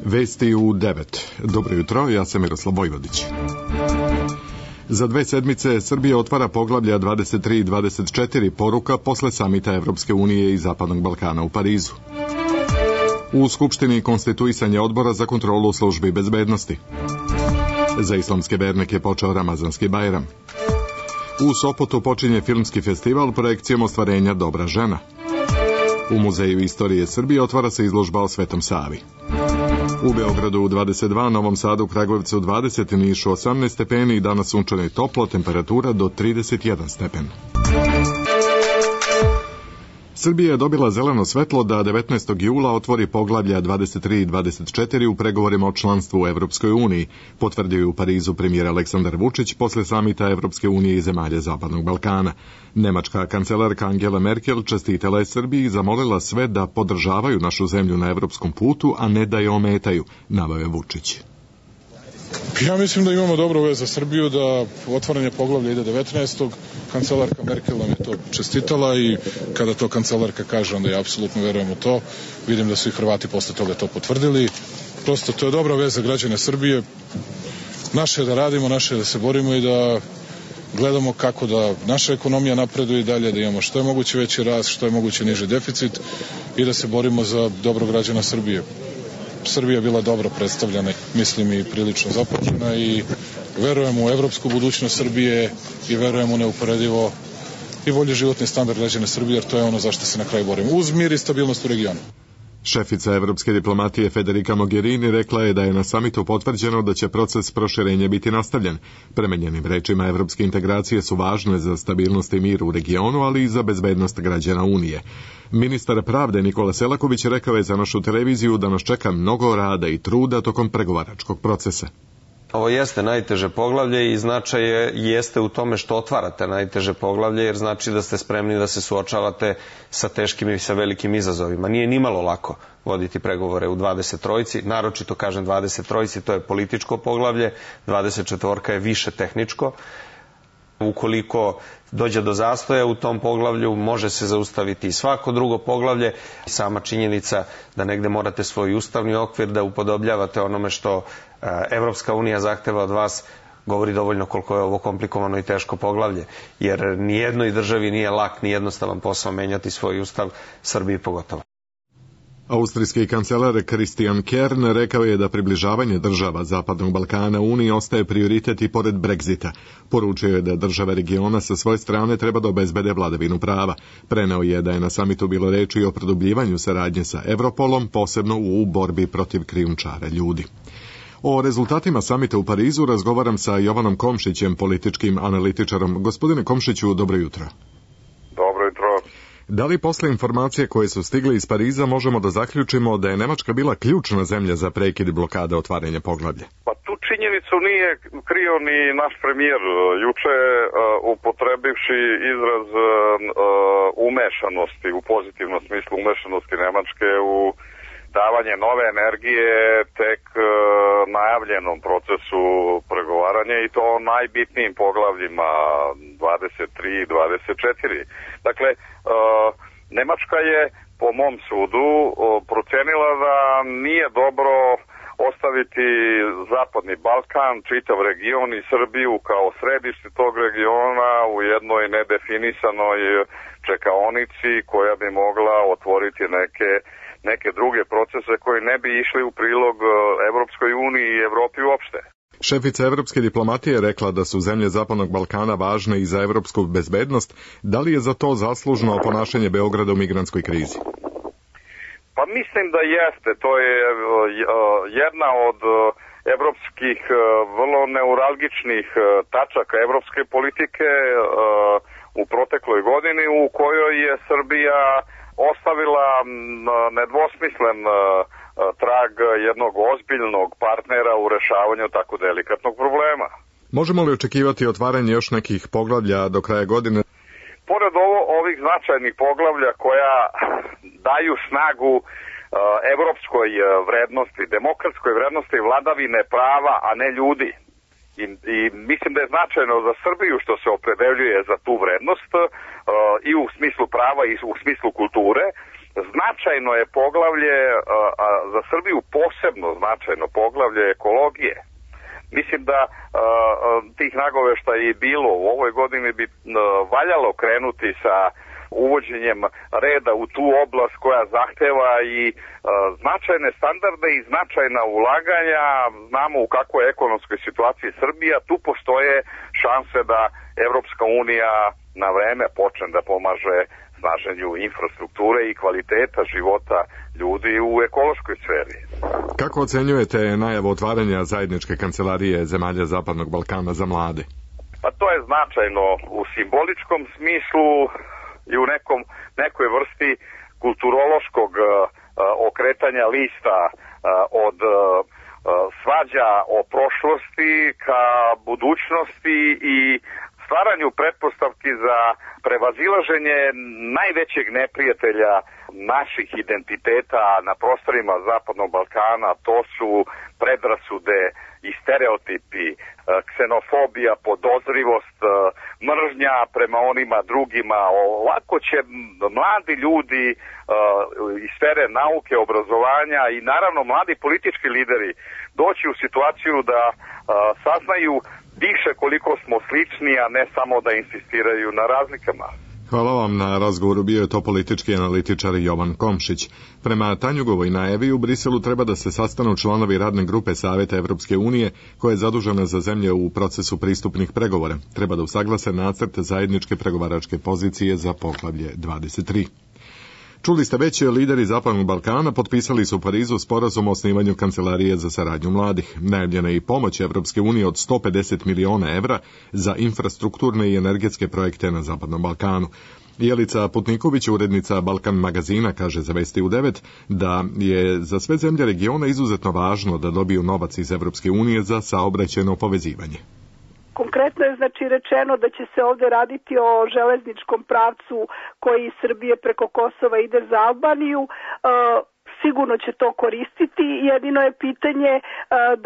Vesti u 9. Dobro jutro, ja sam Miroslav Vojvodić. Za 2 sedmice Srbija otvara poglavlja 23 i 24 poruka posle samita Evropske unije i Zapadnog Balkana u Parizu. U Skupštini konstituisanje odbora za kontrolu službi bezbednosti. Za islamske vernike počeo Ramazanski Bajram. U Sopotu počinje filmski festival projekcijom ostvarenja Dobra žena. U Muzeju istorije Srbije otvara se izložba o Svetom Savi. U Beogradu 22, Novom Sadu, Kragujevcu 20, Nišu 18 stepeni i danas sunčano i toplo, temperatura do 31 stepen. Srbija je dobila zeleno svetlo da 19. jula otvori poglavlja 23 i 24 u pregovorima o članstvu u Evropskoj uniji, potvrdio je u Parizu premijer Aleksandar Vučić posle samita Evropske unije i zemalja Zapadnog Balkana. Nemačka kancelarka Angela Merkel čestitala je Srbiji i zamolila sve da podržavaju našu zemlju na evropskom putu, a ne da je ometaju, naveo je Vučić. Ja mislim da imamo dobru vez za Srbiju, da otvaranje poglavlja ide 19. Kancelarka Merkel nam je to čestitala i kada to kancelarka kaže, onda ja apsolutno verujem u to. Vidim da su i Hrvati posle toga to potvrdili. Prosto to je dobra vez za građane Srbije. Naše je da radimo, naše je da se borimo i da gledamo kako da naša ekonomija napreduje i dalje, da imamo što je moguće veći rast, što je moguće niži deficit i da se borimo za dobro građana Srbije. Srbija bila dobro predstavljena, mislim i prilično započena i verujem u evropsku budućnost Srbije i verujem u neuporedivo i bolji životni standard građana Srbije, jer to je ono zašto se na kraju borimo. Uz mir i stabilnost u regionu. Šefica evropske diplomatije Federica Mogherini rekla je da je na samitu potvrđeno da će proces proširenja biti nastavljen. Prema njenim rečima, evropske integracije su važne za stabilnost i mir u regionu, ali i za bezbednost građana Unije. Ministar pravde Nikola Selaković rekao je za našu televiziju da nas čeka mnogo rada i truda tokom pregovaračkog procesa. Ovo jeste najteže poglavlje i značaj jeste u tome što otvarate najteže poglavlje, jer znači da ste spremni da se suočavate sa teškim i sa velikim izazovima. Nije nimalo lako voditi pregovore u 23, naročito kažem 23, to je političko poglavlje, 24 je više tehničko. Ukoliko dođe do zastoja u tom poglavlju, može se zaustaviti i svako drugo poglavlje. Sama činjenica da negde morate svoj ustavni okvir da upodobljavate onome što Evropska unija zahteva od vas, govori dovoljno koliko je ovo komplikovano i teško poglavlje. Jer nijednoj državi nije lak ni jednostavan posao menjati svoj ustav, Srbiji pogotovo. Austrijski kancelar Christian Kern rekao je da približavanje država Zapadnog Balkana Uniji ostaje prioritet i pored Brexita. Poručio je da države regiona sa svoje strane treba da obezbede vladavinu prava. Preneo je da je na samitu bilo reči i o produbljivanju saradnje sa Europolom, posebno u borbi protiv krijumčara ljudi. O rezultatima samita u Parizu razgovaram sa Jovanom Komšićem, političkim analitičarom. Gospodine Komšiću, dobro jutro. Dobro jutro. Da li posle informacije koje su stigle iz Pariza možemo da zaključimo da je Nemačka bila ključna zemlja za prekid blokade otvaranja poglavlja? Pa tu činjenicu nije krio ni naš premijer juče, upotrebivši izraz umešanosti, u pozitivnom smislu umešanosti Nemačke u davanje nove energije tek najavljenom procesu pregovaranja i to najbitnijim poglavljima 23 i 24. Dakle, Nemačka je po mom sudu procenila da nije dobro ostaviti Zapadni Balkan, čitav region i Srbiju kao središte tog regiona u jednoj nedefinisanoj čekaonici koja bi mogla otvoriti neke druge procese koji ne bi išli u prilog Evropskoj uniji i Evropi uopšte. Šefica evropske diplomatije je rekla da su zemlje Zapadnog Balkana važne i za evropsku bezbednost. Da li je za to zaslužno ponašanje Beograda u migrantskoj krizi? Pa mislim da jeste. To je jedna od evropskih vrlo neuralgičnih tačaka evropske politike u protekloj godini u kojoj je Srbija ostavila nedvosmislen trag jednog ozbiljnog partnera u rešavanju tako delikatnog problema. Možemo li očekivati otvaranje još nekih poglavlja do kraja godine? Pored ovih značajnih poglavlja koja daju snagu evropskoj vrednosti, demokratskoj vrednosti vladavine prava, a ne ljudi. I mislim da je značajno za Srbiju što se opredeljuje za tu vrednost i u smislu prava i u smislu kulture, značajno je poglavlje, a za Srbiju posebno značajno poglavlje ekologije. Mislim da tih nagoveštaja je bilo u ovoj godini bi valjalo krenuti sa uvođenjem reda u tu oblast koja zahteva i značajne standarde i značajna ulaganja. Znamo u kakvoj ekonomskoj situaciji Srbija, tu postoje šanse da Evropska unija na vreme počne da pomaže snaženju infrastrukture i kvaliteta života ljudi u ekološkoj sferi. Kako ocenjujete najavu otvaranja zajedničke kancelarije zemalja Zapadnog Balkana za mlade? Pa to je značajno u simboličkom smislu i u nekoj vrsti kulturološkog okretanja lista od svađa o prošlosti ka budućnosti i stvaranju pretpostavki za prevazilaženje najvećeg neprijatelja naših identiteta na prostorima Zapadnog Balkana. To su predrasude i stereotipi, ksenofobija, podozrivost, mržnja prema onima drugima. Ovako će mladi ljudi iz sfere nauke, obrazovanja i naravno mladi politički lideri doći u situaciju da saznaju više koliko smo slični, a ne samo da insistiraju na razlikama. Hvala vam na razgovoru, bio je to politički analitičar Jovan Komšić. Prema Tanjugovoj najavi u Briselu treba da se sastanu članovi radne grupe Saveta Evropske unije koja je zadužena za zemlje u procesu pristupnih pregovora. Treba da usaglase nacrt zajedničke pregovaračke pozicije za poglavlje 23. Čuli ste već, lideri Zapadnog Balkana potpisali su u Parizu sporazum o osnivanju kancelarije za saradnju mladih. Najavljena je i pomoć Evropske unije od 150 miliona evra za infrastrukturne i energetske projekte na Zapadnom Balkanu. Jelica Putniković, urednica Balkan magazina, kaže za Vesti u 9 da je za sve zemlje regiona izuzetno važno da dobiju novac iz Evropske unije za saobraćajno povezivanje. Konkretno je rečeno da će se ovdje raditi o železničkom pravcu koji iz Srbije preko Kosova ide za Albaniju. Sigurno će to koristiti, jedino je pitanje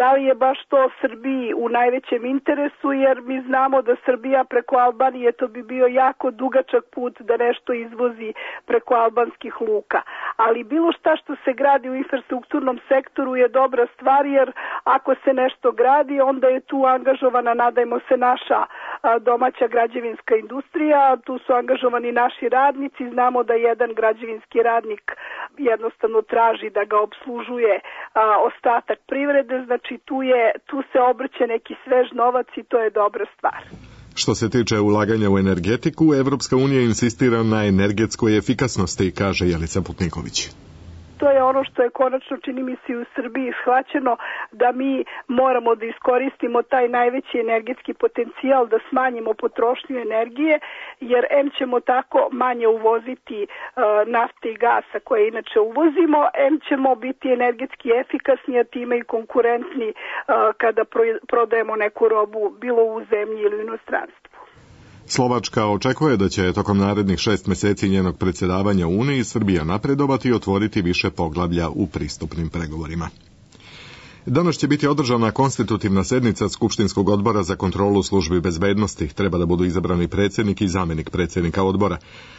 da li je baš to Srbiji u najvećem interesu, jer mi znamo da Srbija preko Albanije, to bi bio jako dugačak put da nešto izvozi preko albanskih luka. Ali bilo šta što se gradi u infrastrukturnom sektoru je dobra stvar, jer ako se nešto gradi, onda je tu angažovana, nadajmo se, naša domaća građevinska industrija, tu su angažovani naši radnici, znamo da jedan građevinski radnik jednostavno traži da ga obslužuje ostatak privrede, znači tu se obrće neki svež novac i to je dobra stvar. Što se tiče ulaganja u energetiku, Evropska unija insistira na energetskoj efikasnosti, kaže Jelica Putniković. To je ono što je konačno, čini mi se, u Srbiji shvaćeno, da mi moramo da iskoristimo taj najveći energetski potencijal, da smanjimo potrošnju energije, jer ćemo tako manje uvoziti nafte i gasa koje inače uvozimo, ćemo biti energetski efikasni, a time i konkurentni kada prodajemo neku robu bilo u zemlji ili u inostranstvu. Slovačka očekuje da će tokom narednih 6 meseci njenog predsjedavanja Uniji Srbija napredovati i otvoriti više poglavlja u pristupnim pregovorima. Danas će biti održana konstitutivna sednica Skupštinskog odbora za kontrolu službi bezbednosti. Treba da budu izabrani predsjednik i zamjenik predsjednika odbora.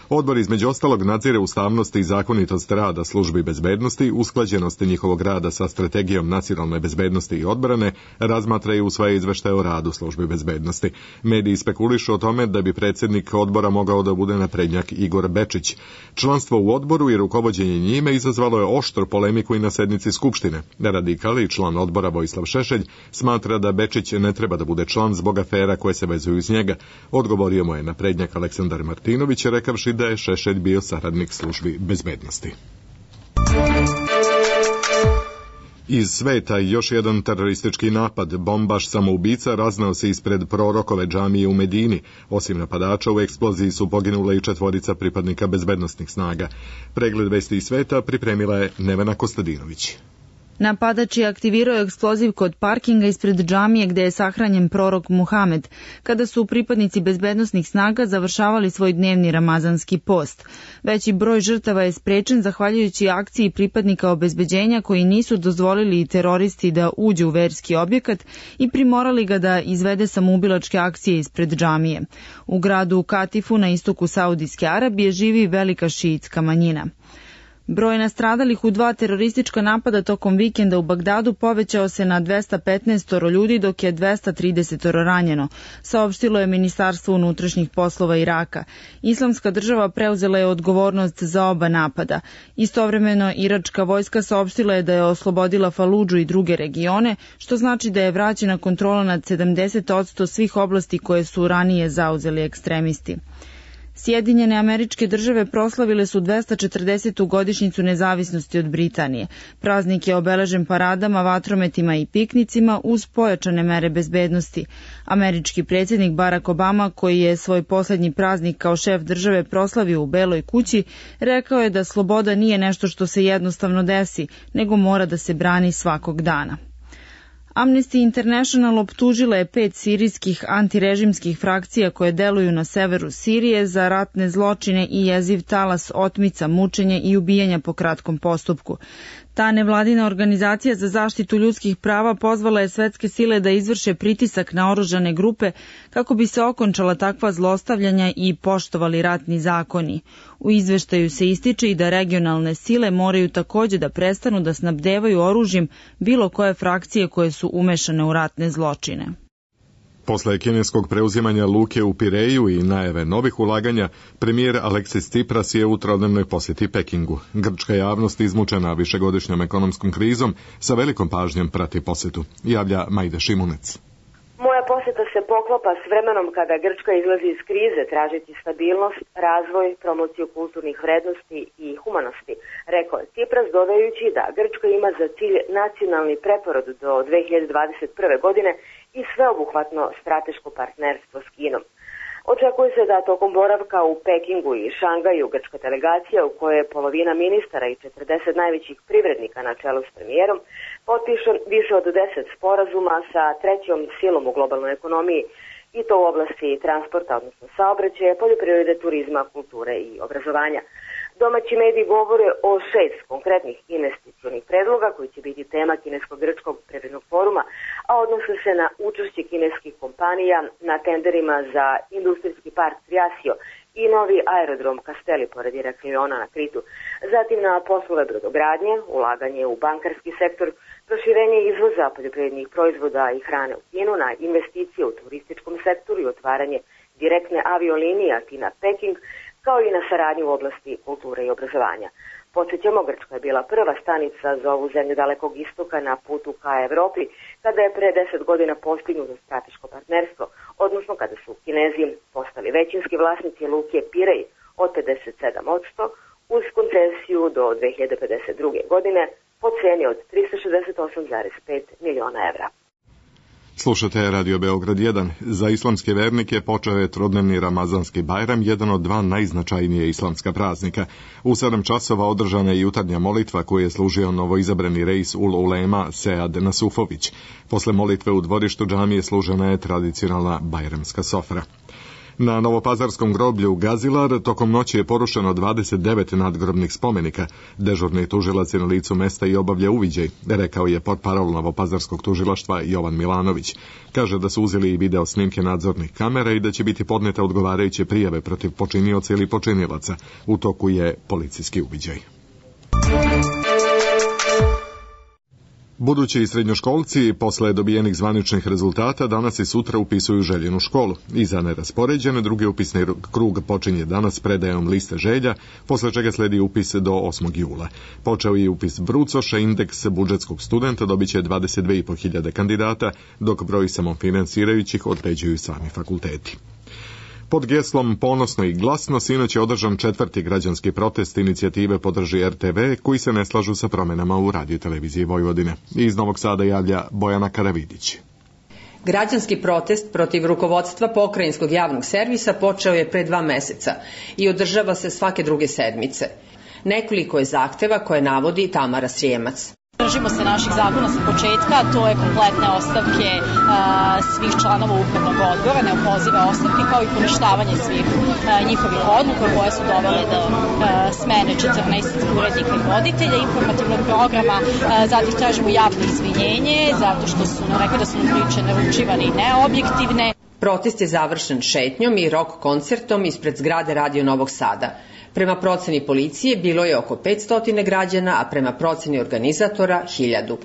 Odbor između ostalog nadzire ustavnost i zakonitost rada službi bezbednosti, usklađenost njihovog rada sa strategijom nacionalne bezbednosti i odbrane, razmatra i usvaja izveštaje o radu službi bezbednosti. Mediji spekulišu o tome da bi predsjednik odbora mogao da bude naprednjak Igor Bečić. Članstvo u odboru i rukovođenje njime izazvalo je oštru polemiku i na sednici Skupštine. Radikali i član odbora Vojislav Šešelj smatra da Bečić ne treba da bude član zbog afera koje se vezuju iz njega. Odgovorio mu je naprednjak Aleksandar Martinović, rekavši da je Šešelj bio saradnik službi bezbednosti. Iz sveta još jedan teroristički napad. Bombaš samoubica raznao se ispred prorokove džamije u Medini. Osim napadača, u eksploziji su poginule i 4 pripadnika bezbednosnih snaga. Pregled vesti iz sveta pripremila je Nevena Kostadinović. Napadač je aktivirao eksploziv kod parkinga ispred džamije gde je sahranjen prorok Muhamed, kada su pripadnici bezbednosnih snaga završavali svoj dnevni ramazanski post. Veći broj žrtava je sprečen zahvaljujući akciji pripadnika obezbeđenja koji nisu dozvolili teroristi da uđu u verski objekat i primorali ga da izvede samoubilačke akcije ispred džamije. U gradu Katifu na istoku Saudijske Arabije živi velika šiitska manjina. Broj nastradalih u 2 teroristička napada tokom vikenda u Bagdadu povećao se na 215 ljudi, dok je 230 ranjeno, saopštilo je Ministarstvo unutrašnjih poslova Iraka. Islamska država preuzela je odgovornost za oba napada. Istovremeno, iračka vojska saopštila je da je oslobodila Faludžu i druge regione, što znači da je vraćena kontrola nad 70% svih oblasti koje su ranije zauzeli ekstremisti. Sjedinjene Američke Države proslavile su 240. godišnjicu nezavisnosti od Britanije. Praznik je obeležen paradama, vatrometima i piknicima uz pojačane mere bezbednosti. Američki predsjednik Barack Obama, koji je svoj poslednji praznik kao šef države proslavio u Beloj kući, rekao je da sloboda nije nešto što se jednostavno desi, nego mora da se brani svakog dana. Amnesty International optužila je 5 sirijskih antirežimskih frakcija koje deluju na severu Sirije za ratne zločine i jeziv talas otmica, mučenja i ubijanja po kratkom postupku. Ta nevladina organizacija za zaštitu ljudskih prava pozvala je svetske sile da izvrše pritisak na oružane grupe kako bi se okončala takva zlostavljanja i poštovali ratni zakoni. U izveštaju se ističe i da regionalne sile moraju takođe da prestanu da snabdevaju oružjem bilo koje frakcije koje su umešane u ratne zločine. Posle kineskog preuzimanja luke u Pireju i najave novih ulaganja, premijer Aleksis Tsipras je u trodnevnoj posjeti Pekingu. Grčka javnost izmučena višegodišnjom ekonomskom krizom sa velikom pažnjom prati posjetu, javlja Majda Šimunec. Moja posjeta se poklapa s vremenom kada Grčka izlazi iz krize tražiti stabilnost, razvoj, promociju kulturnih vrednosti i humanosti, rekao je Tsipras, dodajući da Grčka ima za cilj nacionalni preporod do 2021. godine i sveobuhvatno strateško partnerstvo s Kinom. Očekuje se da tokom boravka u Pekingu i Šangaju grčka delegacija, u kojoj je polovina ministara i 40 najvećih privrednika na čelu s premijerom, potpiše više od 10 sporazuma sa trećom silom u globalnoj ekonomiji, i to u oblasti transporta, odnosno saobraćaja, poljoprivrede, turizma, kulture i obrazovanja. Domaći mediji govore o 6 konkretnih investicionih predloga koji će biti tema kinesko-grčkog privrednog foruma, a odnose se na učešće kineskih kompanija na tenderima za industrijski park Triasio i novi aerodrom Kasteli pored Irakliona na Kritu. Zatim na poslove brodogradnje, ulaganje u bankarski sektor, proširenje izvoza poljoprivrednih proizvoda i hrane u Kinu, na investicije u turističkom sektoru i otvaranje direktne aviolinije Atina-Peking, kao i na saradnju u oblasti kulture i obrazovanja. Podsjećamo, Grčka je bila prva stanica za ovu zemlju Dalekog istoka na putu ka Evropi, kada je pre 10 godina postignuto strateško partnerstvo, odnosno kada su Kinezi postali većinski vlasnici luke Pirej od 57% uz koncesiju do 2052. godine po ceni od 368,5 miliona evra. Slušate Radio Beograd 1. Za islamske vernike počeo je trodnevni Ramazanski Bajram, jedan od 2 najznačajnije islamska praznika. U 7 časova održana je jutarnja molitva koju je služio novoizabrani reis ul ulema Sead Nasufović. Posle molitve u dvorištu džamije služena je tradicionalna bajramska sofra. Na Novopazarskom groblju Gazilar tokom noći je porušeno 29 nadgrobnih spomenika. Dežurni tužilac je na licu mesta i obavlja uviđaj, rekao je portparol Novopazarskog tužilaštva Jovan Milanović. Kaže da su uzeli i video snimke nadzornih kamera i da će biti podnete odgovarajuće prijave protiv počinioca ili počinilaca. U toku je policijski uviđaj. Budući srednjoškolci posle dobijenih zvaničnih rezultata danas i sutra upisuju željenu školu. Iza neraspoređene drugi upisni krug počinje danas predajom liste želja, posle čega sledi upis do 8. jula. Počeo je upis brucoša, indeks budžetskog studenta dobiće 22.500 kandidata, dok broj samofinansirajućih određuju sami fakulteti. Pod geslom Ponosno i glasno sinoć je održan 4. građanski protest inicijative Podrži RTV koji se ne slažu sa promenama u radioteleviziji Vojvodine. Iz Novog Sada javlja Bojana Karavidić. Građanski protest protiv rukovodstva pokrajinskog javnog servisa počeo je pre 2 meseca i održava se svake druge sedmice. Nekoliko je zahteva koje navodi Tamara Srijemac. Držimo se naših zakona sa početka, to je kompletne ostavke svih članova upravnog odbora, neopozive ostavke, kao i poništavanje svih njihovih odluka koje su dovele do smene 14 urednika i voditelja informativnog programa. Zatim tražimo javno izvinjenje, zato što su nam rekli da su nam priče naručivane i neobjektivne. Protest je završen šetnjom i rock koncertom ispred zgrade Radio Novog Sada. Prema proceni policije bilo je oko 500 građana, a prema proceni organizatora 1000.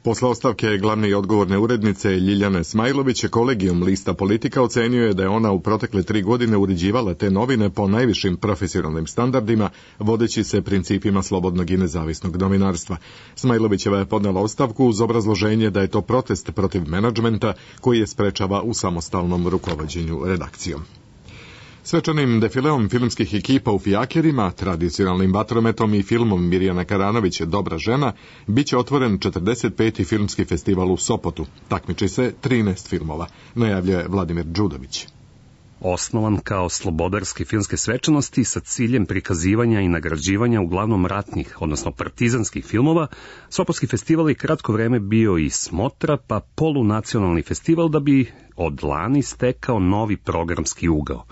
Posle ostavke glavne i odgovorne urednice Ljiljane Smajlović, kolegijum lista Politika ocenio je da je ona u protekle 3 godine uređivala te novine po najvišim profesionalnim standardima, vodeći se principima slobodnog i nezavisnog novinarstva. Smajlovićeva je podnela ostavku uz obrazloženje da je to protest protiv menadžmenta koji je sprečava u samostalnom rukovođenju redakcijom. Svečanim defileom filmskih ekipa u fijakerima, tradicionalnim vatrometom i filmom Mirjana Karanović Dobra žena, biće otvoren 45. filmski festival u Sopotu. Takmiči se 13 filmova, najavljuje Vladimir Đudović. Osnovan kao slobodarske filmske svečanosti sa ciljem prikazivanja i nagrađivanja uglavnom ratnih, odnosno partizanskih filmova, Sopotski festival je kratko vreme bio i smotra, pa polunacionalni festival da bi od lani stekao novi programski ugao.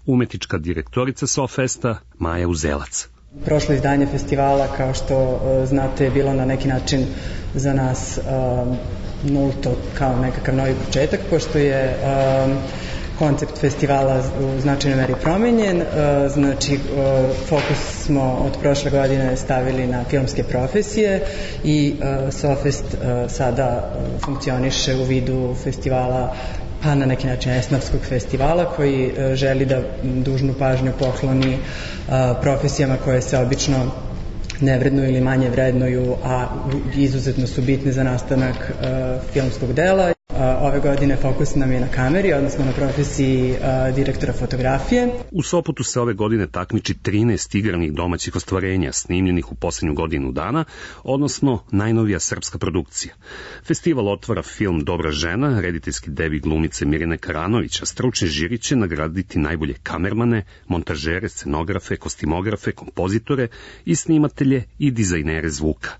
Umetnička direktorica Sofesta Maja Uzelac. Prošlo izdanje festivala, kao što znate, je bilo na neki način za nas nulto, kao nekakav novi početak, pošto je koncept festivala u značajnoj meri promenjen. Znači, fokus smo od prošle godine stavili na filmske profesije i Sofest sada funkcioniše u vidu festivala, pa na neki način esnafskog festivala, koji želi da dužnu pažnju pokloni profesijama koje se obično ne vrednuju ili manje vrednuju, a izuzetno su bitne za nastanak filmskog dela. Ove godine fokus nam je na kameri, odnosno na profesiji direktora fotografije. U Sopotu se ove godine takmiči 13 igranih domaćih ostvarenja snimljenih u poslednju godinu dana, odnosno najnovija srpska produkcija. Festival otvara film Dobra žena, rediteljski debi glumice Mirjane Karanović, a stručni žiri će nagraditi najbolje kamermane, montažere, scenografe, kostimografe, kompozitore i snimatelje i dizajnere zvuka.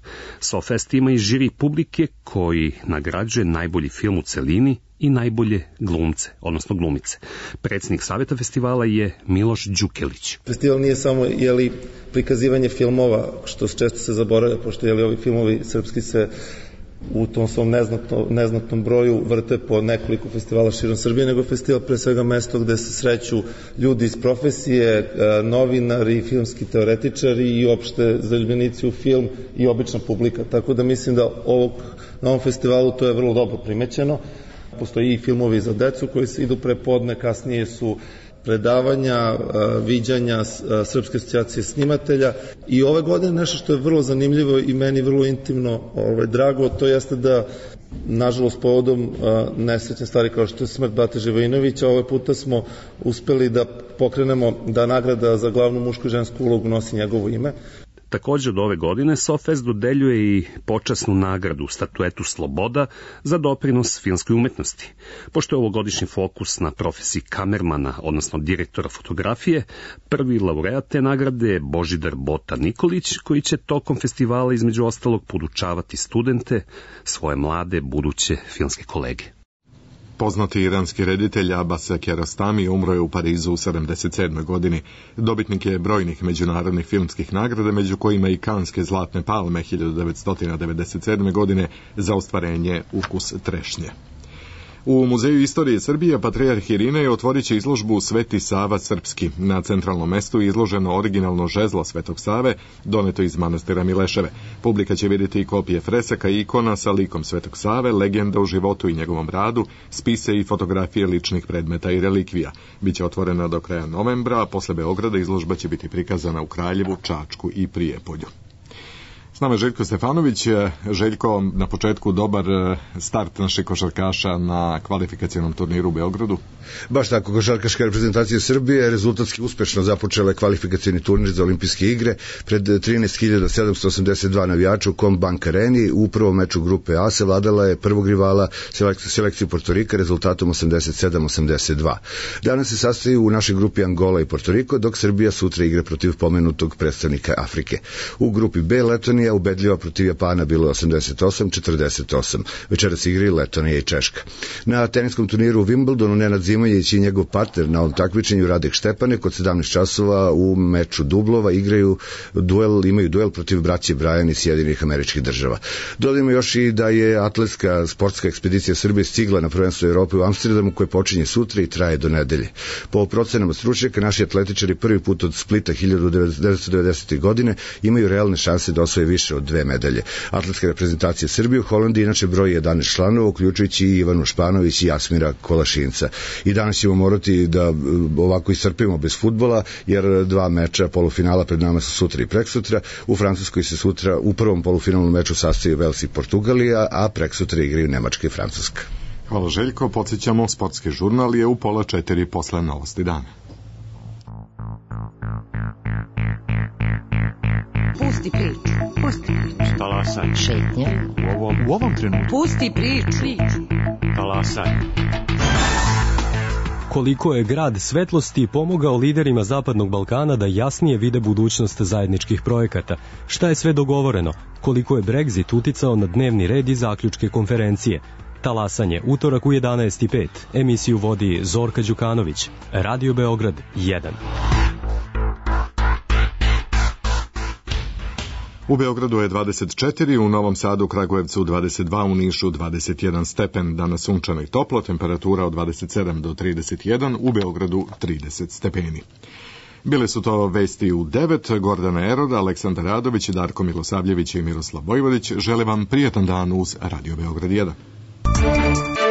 Sofest ima i žiri publike koji nagrađuje najbolji film u celini i najbolje glumce, odnosno glumice. Predsjednik saveta festivala je Miloš Đukelić. Festival nije samo prikazivanje filmova, što često se zaboravlja, pošto ovi filmovi srpski se u tom svom neznatnom broju vrte po nekoliko festivala širom Srbije, nego festival pre svega mesto gde se sreću ljudi iz profesije, novinari, filmski teoretičari i opšte zaljubljenici u film i obična publika. Tako da mislim da na ovom festivalu to je vrlo dobro primećeno. Postoji i filmovi za decu koji se idu prepodne, kasnije su predavanja, viđanja Srpske asocijacije snimatelja i ove godine nešto što je vrlo zanimljivo i meni vrlo intimno drago, to jeste da nažalost povodom nesrećne stvari kao što je smrt Bate Živojinovića, ovaj puta smo uspeli da pokrenemo da nagrada za glavnu mušku i žensku ulogu nosi njegovo ime. Također od ove godine Sofest dodeljuje i počasnu nagradu Statuetu Sloboda za doprinos filmskoj umetnosti. Pošto je ovogodišnji fokus na profesiji kamermana, odnosno direktora fotografije, prvi laureat te nagrade je Božidar Bota Nikolić, koji će tokom festivala između ostalog podučavati studente, svoje mlade buduće filmske kolege. Poznati iranski reditelj Abbas Kiarostami umro je u Parizu u 77. godini. Dobitnik je brojnih međunarodnih filmskih nagrada, među kojima i Kanske zlatne palme 1997. godine za ostvarenje Ukus trešnje. U Muzeju istorije Srbije Patrijarh Irinej otvorit će izložbu Sveti Sava Srpski. Na centralnom mestu je izloženo originalno žezlo Svetog Save, doneto iz manastira Mileševe. Publika će vidjeti i kopije fresaka i ikona sa likom Svetog Save, legenda o životu i njegovom radu, spise i fotografije ličnih predmeta i relikvija. Biće otvorena do kraja novembra, a posle Beograda izložba će biti prikazana u Kraljevu, Čačku i Prijepolju. S nama je Željko Stefanović. Željko, na početku dobar start naših košarkaša na kvalifikacionom turniru u Beogradu. Baš tako, košarkaška reprezentacija Srbije rezultatski uspešno započela je kvalifikacioni turnir za olimpijske igre pred 13.782 navijača u Combank Areni. U prvom meču grupe A savladala je prvog rivala selekciju Portorika rezultatom 87-82. Danas se sastoji u našoj grupi Angola i Portoriko, dok Srbija sutra igra protiv pomenutog predstavnika Afrike. U grupi B Letonija, Italija ubedljiva protiv Japana, bilo je 88-48. Večeras igri Letonija i Češka. Na teniskom turniru u Wimbledonu Nenad Zimonjić i njegov partner na ovom takmičenju Radek Štepanek od 17 časova u meču dublova imaju duel protiv braće Brajan iz Sjedinjenih Američkih Država. Dodajmo još i da je atletska sportska ekspedicija Srbije stigla na prvenstvo Evrope u Amsterdamu koje počinje sutra i traje do nedelje. Po procenama stručnjaka, naši atletičari prvi put od Splita 1990. godine imaju realne šanse da osvoje više od 2 medalje. Atletska reprezentacija Srbije u Holandiji inače broji 11 članova, uključujući i Ivanu Španović i Jasmira Kolašinca. I danas ćemo morati da ovako iscrpimo bez fudbala, jer 2 meča polufinala pred nama su sutra i preksutra. U Francuskoj se sutra u prvom polufinalnom meču sastoji Vels i Portugalija, a preksutra igraju Nemačka i Francuska. Hvala Željko, podsjećamo, sportski žurnal je u 3:30 posle novosti dana. Pusti priču, pusti priču. Talasaj. Šetnja. U ovom trenutku. Pusti priču. Talasaj. Koliko je grad svetlosti pomogao liderima Zapadnog Balkana da jasnije vide budućnost zajedničkih projekata? Šta je sve dogovoreno? Koliko je Brexit uticao na dnevni red i zaključke konferencije? Talasanje, utorak u 11:05. Emisiju vodi Zorka Đukanović. Radio Beograd 1. U Beogradu je 24, u Novom Sadu, Kragujevcu 22, u Nišu 21 stepen, danas sunčano i toplo, temperatura od 27 do 31, u Beogradu 30 stepeni. Bile su to vesti u 9, Gordana Erod, Aleksandar Radović, Darko Milosavljević i Miroslav Vojvodić. Žele vam prijetan dan uz Radio Beograd 1.